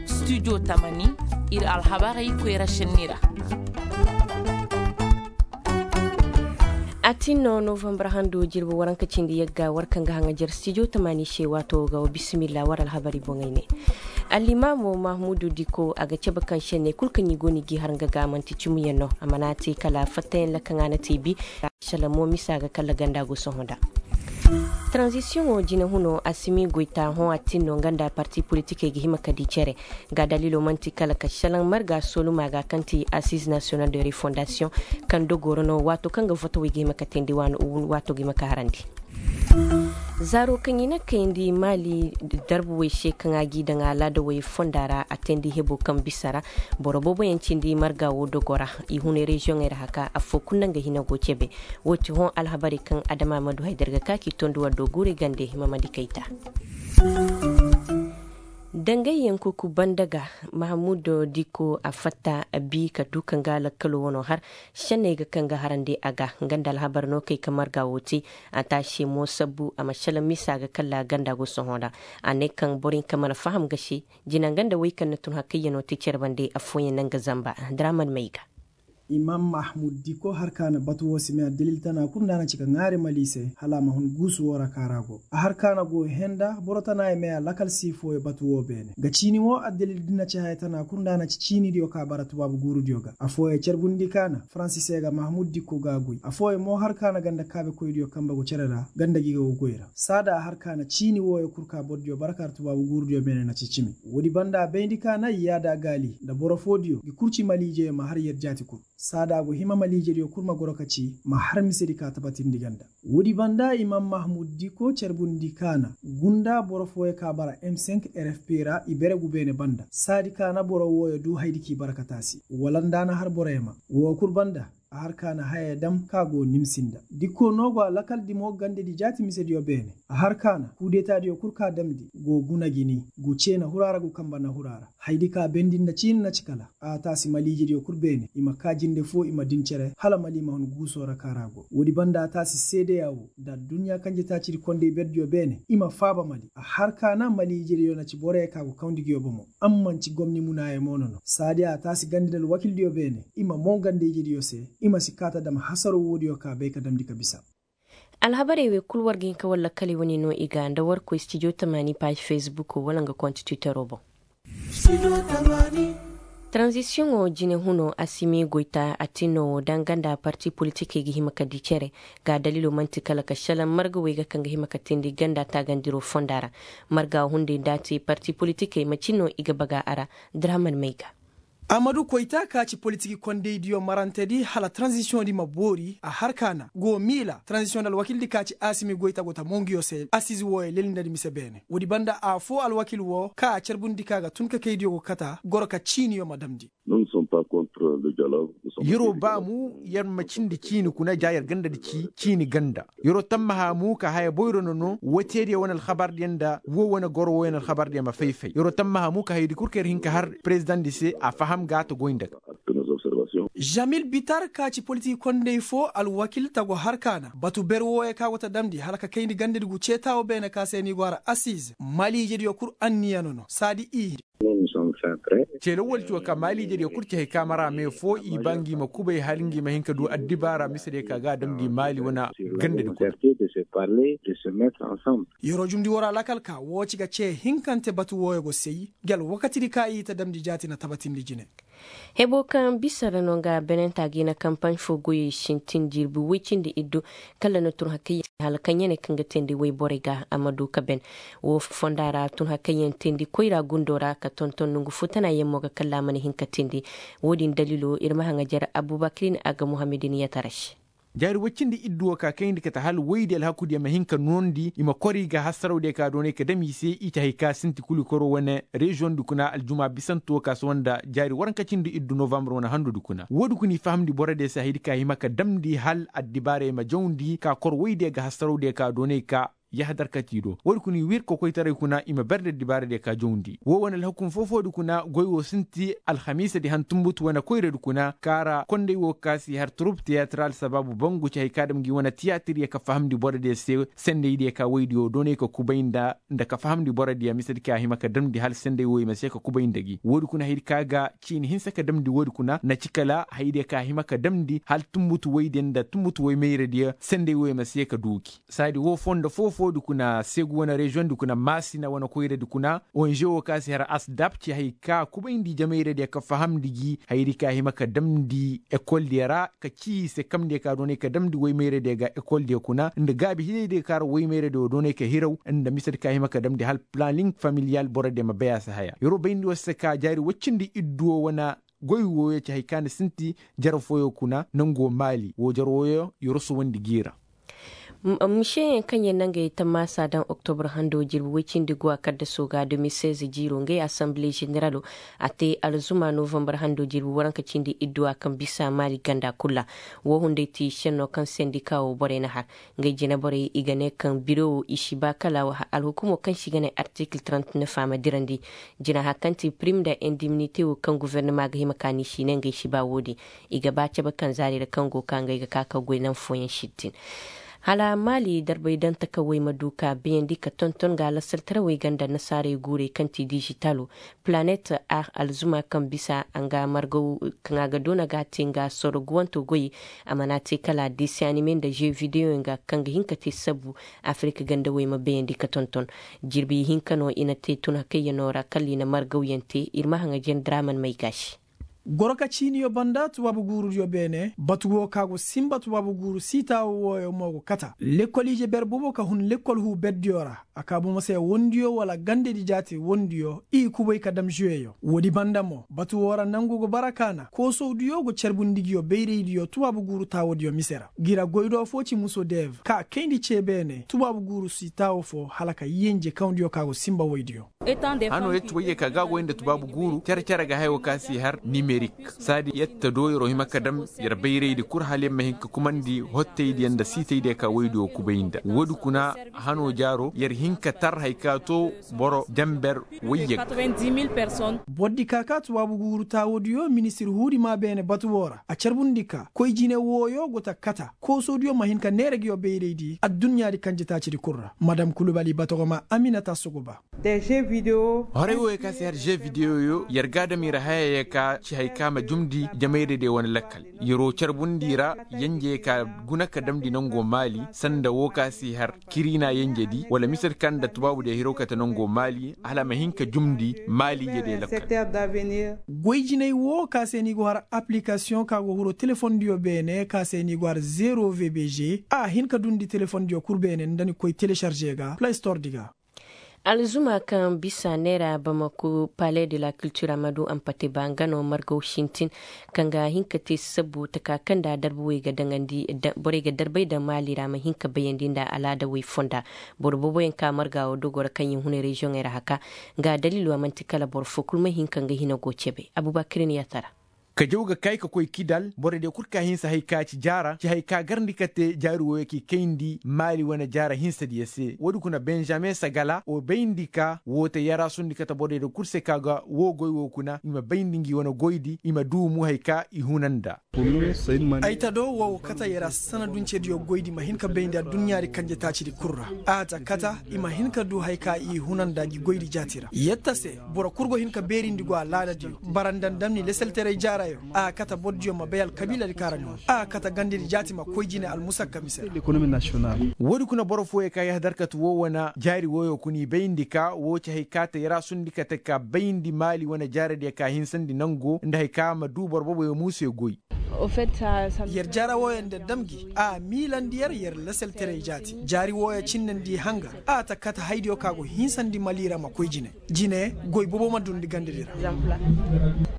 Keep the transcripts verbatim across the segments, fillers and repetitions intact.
Studio tamani, ir alhabarey koyra šenni ra. A tin no novambar hando jirbi waranka cindi yagga war kaŋ ga haŋajer studio tamani se waato ga wa bisimilla war alhabari boŋey ne. Allimaamo mahmudu diko a ga cabe kaŋ šenney kul kaŋ i go no i g'i har nga ga man'ti cimiyaŋ no a mana te kala fattayaŋ ra kaŋ a na te bi. Salamo misa ga kala ganda go sohõ nda tranzisiyoŋo jine huno a si m'i goy ta hõ a tin no nga nda parti politikey ga hima ka di cere. Ga dalilo man'ti kala ka salaŋ marga soluma ga kaŋ ti assize national de refondasiyoŋ kaŋ dogoro no waato kaŋ ga votowey ga hima ka teendi waani waato ga hima ka harandi. Zaaro kaŋ i na kayandi maali darbuwey se kaŋ a g'i daŋ alaadawey fonda ra a teendi hebo kaŋ bisa ra. Boro booboyaŋ cindi marga wo dogo ra i hunay reziyoŋey ra haka affoo kul naŋ ga hina go cebe. Woo ti hõ alhabarey kaŋ adama ma du haydar ga ka k'i tondi war do guurey gande hima ma di kayta. Dangayyaŋ kuku banda ga mahamud diko a fatta bi ka du kaŋ ga lakkalo wano har. Senney ga kaŋ ga harandi a ga nga nda alhabar no kay ka marga wo te. A taasi mo sabbu a ma sala misa ga kalla ganda go sohõ ra. A ne kaŋ boro hinka mana faham ga se jina nga nda wey kaŋ na tun hakkayyano te care bande affooyaŋ naŋ ga zamba. Draman may ga. Imam mahmud diko har ka na batu wo si may addalil tana kul nda a na ci ka ŋaari mali se hala a ma hun guusu wo ra kaara go a har ka na go henda boro tana ye may a lakal si fooyo batu wo beene ga ciini wo addalil di na ci haya tana kul nda a na ci ciinidiyo ka bara tubaabu guurudiyo ga affooyo carbundi ka na faransi se ga mahmud diko ga a goy affooyo mo har ka na ganda kaabekoydiyo kambe go cere ra ganda gi ga go goy ra saada a har ka na ciini wooyo kul ka bordiyo bara kaara tubaabu guurudiyo beene na ci cimi. Woodi banda a bayndi ka na i yaada gaali nda boro foodiyo ngi kurci maliijeyo ma har yer jaati kul saada a go hima maliijediyo kul ma goro ka ci ma har misedi ka tabatindi ganda. Woodi banda imam mahmud diko carbundi ka na gunda boro fooyo ka bara m cinq rfp ra i bere gu beene banda saadi ka na boro wooyo du haydi k'i bara ka taasi wala nda a na har boroyo ma woo kul banda. A har ka na hayey dam ka go nimsi nda dikko no go a lakal dimo gandedi jaati misediyo beene a har ka na kuudetadiyo kul ka damndi go guna gini gu cee na hura ra gu kamba na hura ra haydi ka bendi nda ciini na ci kala a taasi maliijediyo kul beene i ma kaa jinde foo i ma din cere hala mali ma hun guusoo ra ka ra go woodi banda a taasi seedeya woo nda adduɲɲa kanjetaacidi kondey berdiyo beene i ma faaba mali a har ka na maliijediyo na ci boroyo ka go kawndi nguyo bomo. Amma nci gomni munaayey mo no no saadi a taasi gandi nda alwakildiyo beene i ma moŋ ganda ijediyo se i ma si kaa ta dam hasaroo woodiyo ka bay ka damndi ka bisa. Alhabarey wey kul war ga hin ka war lakkaley wane no i ga nda war koy stijo tamaani paaz fesbukoo wala nga konti twitteroo boŋ. Taranzisiyoŋoo jine hunoo a si mii goyta a tinno woo danga nda parti politikey ga hima ka dii cere. Ga daliloo man'ti kala ka šelaŋ marga wey ga kaŋ ga hima ka teendi ganda taagandiroo fonda ra. Marga hunday nda a te parti politikey macin no i ga baga a ra. Draman may ga. Amadu koyta ka ci politiki kondaydiyo marantedi hala taranzisiyoŋdi ma boori a har ka na go miila taranzisiyoŋdi alwakildi ka ci asimi goyta go ta monguyo se asiz wooyo lelindadi mise beene woodi banda afoo alwakil woo ka a carbundi ka ga tun ka kaydiyo go kata goro ka ciiniyo ma damndi. Yer'o baa mu yer ma cindi ciini kuna ja yer gandadi ci ciini ganda. Yer'o tammaha mu ka haya boyro nono woo teediyo wane alhabardiyo nda woo wane goro wooyo na alhabardiyo ma fay-fay yer'o tammaha mu ka hayadi kul ka yer hin ka har perezidaŋdi se a faham ga ta goy nda ga. Zamil bitar ka ci politik konday foo alwakil ta go har ka na batu ber wooyo ka go ta damndi hala ka kayndi gandadi gu ceeta woo beene ka se ni go har asiz maliijediyo kul anniya nono saadi i. Ceelawwal ci woo ka maaliijediyo kul ci hay ka mara me foo i ba ngi ma kubay hala ngi ma hin ka du addibaara misediyo ka ga a damndi maali wane gandadi kuna. Yer'o jumndi war alakal ka woo ci ga cee hinkante batu wooyo go say. Gi alwakatidi ka i ta damndi jaati na tabatindi jine. Heboo kaŋ bisa ra no nga benenta ga i na kampaɲ foo goyey sintin jirbi woy cindi iddu. Kala na tun hakayyaŋ hala kaŋ ya ne kaŋ ga teendi woyborey ga a ma du ka ben. Woo fonda ra tun hakayyaŋ teendi koyra gundoo ra ka tonton nongu foo tana yaŋ mo ga kalla a mana hin ka teendi. Woo din daliloo ir ma haŋajer abubakirin a ga muhammadin yataras. Jaari woy cindi iddu woo ka kayndi kate hala woydi alhakudiyo ma hin ka noondi i ma kor i ga hasarawdiyo ka doonay ka dam i se i ci hay ka sinti kul i koroo wane reziyoŋdi kuna aljuma bisanto woo ka si woo nda jaari waranka cindi iddu novambar wane handudi kuna woodi kuna i fahamndi borodiyo se hayadi ka hima ka damndi hala addibaarey ma jawndi ka kor woydiyo ga hasarawdiyo ka doonay ka. yahadar kati do woodi kuna i wir kokoytaray kuna i ma ber nda dibaaradiyo ka jawndi woo wane alhukum foo-foodi kuna goy woo sinti alhamiisadi han tunbutu wane koyradi kuna kaara konday woo ka si har turub tiyatiral sabaabu bangu ci hay ka dam ngi wane tiyatiryo ka fahamndi borodiyo se sendaydiyo ka woydiyo doonay ka kubay nda nda ka fahamndi borodiyo misedi ka a hima ka damndi hala senday wooyo ma se ka kubay nda gi woodi kuna haydi ka ga ciini hinsa ka damndi woodi kuna na ci kala haydiyo ka a hima ka damndi hala tunbutu woydiyo nda tunbutu woy mayradiyo senday wooyo ma se ka duu gi saadi woo fondo foo-foodi kuna seegu wane reziyoŋdi kuna maasina wane koyradi kuna onže woo ka si har asdap ci hay ka kubayndi jamayradiyo ka fahamndi gi haydi ka a hima ka damndi ekoldiyo ra ka cii se kamndiyo ka doonay ka damndi woy mayradiyo ga ekoldiyo kuna nda gaabi hiraydiyo ka ra woy mayradiyo doonay ka hiraw nda misedi ka a hima ka damndi hala planning familiyal borodiyo ma bay a si haya yer woo bayndi woo se ka jaari woy cindi iddu woo wane goy wooyo ci hay ka na sinti jare fooyo kuna nangoo maali woo jare wooyo yer woo suwandi g'i ra. Miseyaŋ kaŋ yer na ngey tammaasa daŋ oktobur hando jirbi woy cindi guwa kaddasoo ga de mil seize jiiro ngey asanbile ženeralo a te alzuma novambar hando jirbi waranka cindi idduwa kaŋ bisa maali ganda kul ra. Woo hunday ti šennoo kaŋ sendika woo borey na har ngey jinaborey i ga ne kaŋ biro woo i si ba kala alhukumoo kaŋ se i ga ne artikil trant nef a ma dirandi jina har kaŋ ti pirim nda indiminite woo kaŋ gofornama ga hima ka ni si ne ngey si ba woodin. I ga ba cabe kaŋ zaari ra kaŋ go ka ngey ga ka ka goy naŋ fooyaŋ sittin. Hala maali darbay daŋ takawey ma du ka bayandi ka tonton ga lasaltarawey ganda nasaarey guurey kaŋ ti dižitalo planet ar alzuma kaŋ bisa nga margaw kaŋ a ga doona ga a te nga soroguwanto goy. A mana te kala desiyanime nda žee videyoyaŋ ga kaŋ ga hin ka te sabu afirik gandawey ma bayandi ka tonton. Jirbi hinka no i na te tun hakayyanoo ra kala i na margawyaŋ te ir ma haŋa jandiraman may ga se. Goro ka ciiniyo banda tubaabu guurudiyo beene batu woo ka go sinba tubaabu guuru siitaawo wooyo mo go kata lekkol ije ber bobo ka hun lekkol huu berdiyo ra. A ka bomo se wondiyo wala gandedi jaati wondiyo i kubay ka dam žuweyo woodi banda mo batu woo ra nangu go bara kaana koosowdiyo go carbundi ngiyo bayraydiyo tubaabu guuru taawodiyo mise ra. Ngi ra goydoo foo ci muso dev ka kayndi cee beene tubaabu guuru siitaawo foo hala ka yenje kawdiyo ka go sinba woydiyo. Hanoo yer ti woyye ka ga goy nda tubaabu guuru cere-cere ga haya woo ka si har nimerik. Saadi yer ta do yeroo hima ka dam yer bayraydi kul hala yer ma hin ka kumandi hottaydiyo nda siitaydiyo ka woydiyo kubay nda woodi kuna. Hanoo jaaroo yer hin ka tar haya ka too boro janber woyye ga. Bordi ka ka tubaabu guuru taawodiyo ministir huudi maa beene batu woo ra a carbundi ka koy jine wooyo go ta kata koosodiyo ma hin ka neera ngiyo bayraydi adduɲɲaadi kanjetaacidi kul ra madam kulubali batogoma aminata sogoba. Horey wooyo ka si har žee videyoyo yer ga a dam ir hayayo ka ci hay ka ma jumndi jamayradiyo wane lakkal. Yeroo carbundi ra yenjey ka guna ka damndi nangoo maali sanda woo ka si har kiriina yenjedi wala misedi kaŋ nda tubaabudiyo hiro kate nangoo maali hala a ma hin ka jumndi maali ijediyo lakkal. Goy jinay woo ka se ni go har apilikasiyoŋ ka go hiro telefondiyo beene ka se ni go har zero vbg a hin ka dundi telefondiyo kul beene nda ni koy telesarze ga play store di ga. Alzuma kaŋ bisa neera bamako palais de la culture a ma du ampate ba nga no margaw sintin kaŋ ga hin ka te sabu taka kaŋ nda darba wey ga daŋandi borey ga darbay daŋ maali ra a ma hin ka bayandi nda alaada wey fonda. Boro booboyaŋ ka marga wo dogo ra kaŋ yer huna reziyoŋey ra haka nga dalilo a man'ti kala boro fo kul ma hin ka nga hina go cebe abubakirin yaatara. Ka jaw ga kay ka koy kidal borodiyo kul ka hinsa hay ka ci jaara ci hay ka garndi kate jaari wooyo k'i kayndi maali wane jaara hinsadiyo se woodi kuna benjamin sagala woo bayndi ka woo te yaraasundi kate borodiyo kul se ka ga woo goy woo kuna i ma bayndi ngi wane goydi i ma duumu hay ka i huna nda. Ay ta do woo kate yaraas sanaduncediyo goydi ma hin ka bayndi adduɲɲaadi kanjetaacidi kul ra. A ta kate i ma hin ka duu hay ka i huna nda ngi goydi jaati ra yetta se boro kul go hin ka beerindi go alaadadiyo bara nda ndamni leselteray jaarayo. A kate bordiyo ma bay alkabiiladi kaŋ ra ni hun a kate gandedi jaati ma koy jine almusakka mise ra. Woodi kuna boro fooyo ka yahadar kate woo wane jaari wooyo kuna i bayndi ka woo ci hay ka te yaraasundi kate ka bayndi maali wane jaaradiyo ka hinsandi nango nda hay ka ma duu boro booboyo muusuyo goy. Yer jaara wooyo nda dam gi a miilandi yer yer lasalteray jaati jaari wooyo cinnandi hanga a ta kate haydiyo ka go hinsandi mali ra ma koy jine. Jine goy boobo ma dundi gandedi ra.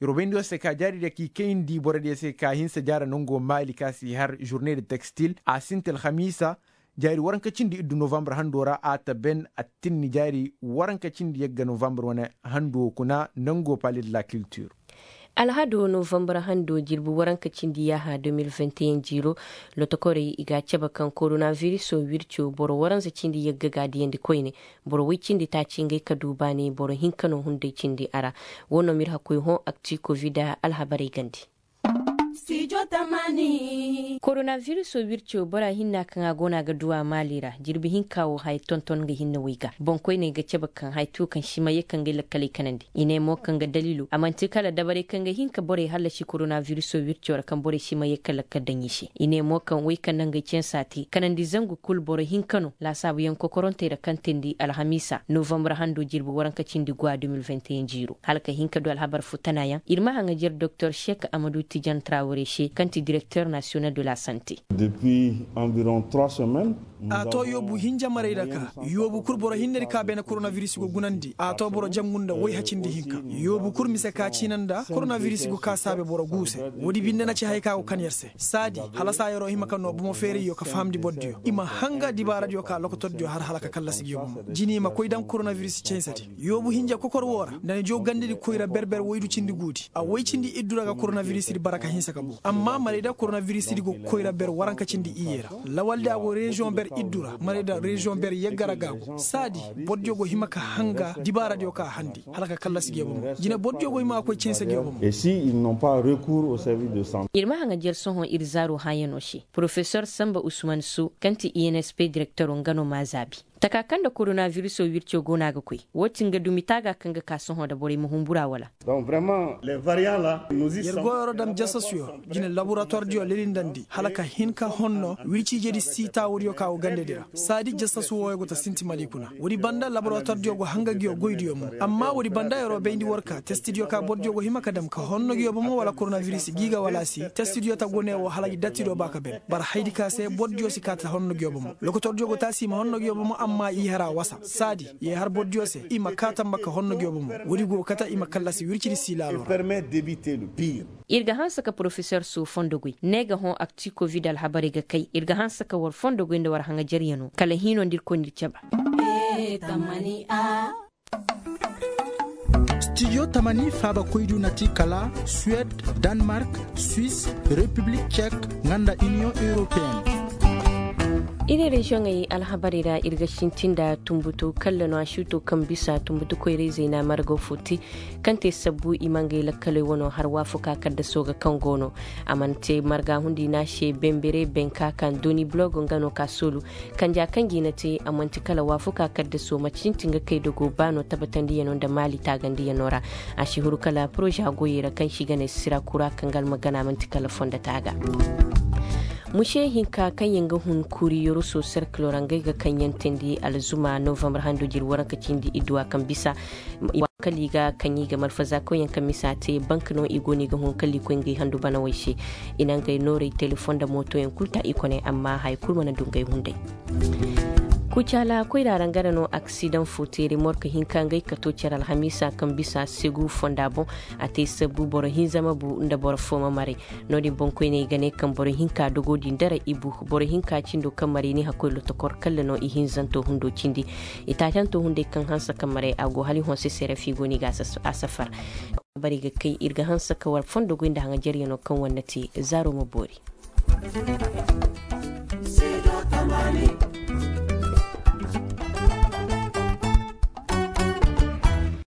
Yer wo bayndi woo se ka jaaridiyo k'i kayndi borodiyo se ka hinsa jaara nangoo maali ka si har žurne de tekstil a sinti alhamiisa. Jaari waranka cindi iddu novambar handoo ra a ta ben attinni jaari waranka cindi yagga novambar wane handoo kuna nangoo pale de la kiltir. Alhado novambar hando jirbi waranka cindi yaaha deux mille vingt et un jiiro, lotokorey i ga a cabe kaŋ koronabiriso wirco boro waranza cindi yagga ga a diyandi koyne. Boro woy cindi taaci ngey ka du baani boro hinka no hunday cindi a ra. Wo no m'ir hakkoy hõ akti kovida alhabarey gandi. Koronabiriso wirco bora hinna kaŋ a go no a ga du a maali ra jirbi hinka wo haya tonton nga hinne woy ga boŋkoyney ga cabe kaŋ haya tu kaŋ simayey kaŋ ga ay lakkaley kanandi. I ne mo kaŋ ga daliilo a man'ti kala dabarey kaŋ ga hin ka borey hallasi koronabiriso wirco ra kaŋ borey simayey ka lakkal daŋ i se. I ne mo kaŋ woy kaŋ na ngey cansa te kanandi zangu kul boro hinka no laasaabuyaŋ kokorontey ra kaŋ teendi alhamiisa novambar hando jirbi waranka cindi guwa deux mille vingt et un jiiro hala ka hin ka du alhabar fo tanayaŋ ir ma haŋajer doktor sek amadu tijan trawre se kaŋ ti direkter nasiyonal de la sante. A to yoobu hinja marey ra ka yoobu kul boro hinne di ka beene koronabiris go gunandi a to boro jangu nda woy hacindi hinka. Yoobu kul mise ka ciina nda koronabiris go ka saabe boro guu se. Woodi binde na ci haya ka go kan yer se saadi hala saa yeroo hima ka noo bomo feerayyo ka fahamndi bordiyo i ma hanga dibaaradiyo ka lokotordiyo har hala ka kallasi ngiyo bomo jini i ma koy daŋ koronabiris cansedi. Yoobu hinja kokor woo ra nda ni joo gandedi koyra ber-ber woydu cindi guudi a woy cindi iddu ra ga koronabirisidi bara ka hinsa ka boo amma marayda koronabirisidi go koyra ber waranka cindi iyye ra. Lawaldi a go reziyoŋ ber iddu ra marayda reziyoŋ ber yagga ra ga a go saadi bordiyo go hima ka hanga dibaaradiyo ka a handi hala ka kallasi ngiyo bomo jine bordiyo go hima ka koy cansa ngiyo bomo. Ir ma haŋa jer sohõ ir zaaro hãyanoo se porofesor samba usman su kaŋ ti insp direktoro nga no m'a zaabi. Taka kaŋ nda koronabiriso wirco go no a ga koy woo ti nga dumi taaga kaŋ ga ka sohõ nda borey ma humbura wala? Yer goyoo ra dam jasasuyo jine laboratuwardiyo lelindandi hala ka hin ka honno wirciijedi sii taawudiyo ka go gandedi ra saadi jasasu wooyo go ta sinti mali kuna. Woodi banda laboratuwardiyo go hanga ngiyo goydiyo mo amma woodi banda yeroo bayndi war ka testidiyo ka bordiyo go hima ka dam ka honno ngiyo bomo wala koronabiris gi ga wala si testidiyo ta go ne woo hala gi dattido ba ka ben bara haydi ka se bordiyo si kaa ta honno ngiyo bomo lokotordiyo go taasi i ma honno ngiyo bomo amma i har a wasa saadi i har bordiyo se i ma kaa tamba ka honno ngiyo bomo woodi go kate i ma kallasi wircidi sii laalo ra. Ir ga hanse ka porofesor soo fondo goy ne ga hõ akti kovid alhabarey ga kay ir ga hanse ka war fondo goy nda war haŋajeryanoo kala hiinoo nda ir koy nda ir caba. Stijo tamani faabakoydu na ti kala suwed, danmark, swis, repiblik cek, nga nda iniyoŋ europeen. Iri reziyoŋey alhabarey ra ir ga sintin nda tunbutu kalla no a si to kaŋ bisa tunbutu koyra-izey na margo fo te kaŋ te sabbu i ma ngey lakkaley wano har waafakaa kaddasoo ga kaŋ go no. A mana te marga hundi no a se benbere benka kaŋ doni bulogo nga no ka soolu kanja kaŋ ga i na te a man'ti kala waafakaa kaddasoo ma sintin ga kay dogo baano tabatandiyanoo nda maali taagandiyanoo ra. A si huru kala poroza goyey ra kaŋ si ga ne sira kura kaŋ ga almagana man'ti kala fondo taaga. Muse hinka kaŋ yaŋ ga hun kuuri yoroso serkilo ra ngey ga kaŋ yaŋ teendi alzuma novambar hando jiri waranka cindi idduwa kaŋ bisa. Kala i ga kaŋ i ga malfazakoyaŋ kaŋ misa te bank no i go no i ga hun kala i koy ngey handu banawey se. I na ngey noorey telefon nda mootoyaŋ kul ta i kone amma haya kul mana du ngey hunday. Kucaala koyra ra nga ra no aksidaŋ fo te remork hinka ngey ka to care alhamiisa kaŋ bisa segu fonda boŋ. A te sabbu boro hinza ma bu nda boro fo ma maray. No-din boŋkoyney ga ne kaŋ boro hinka dogo din dara i bu boro hinka cindo kaŋ maray ni hakkoy lotokor kalla no i hinzanto hundo cindi. I taacanto hunday kaŋ hanse kaŋ maray a go hala i honse sere fiigo no i ga a safar. Bari ga kay ir ga hanse ka war fondo goy nda haŋajeryanoo kaŋ war na te zaaro ma boori.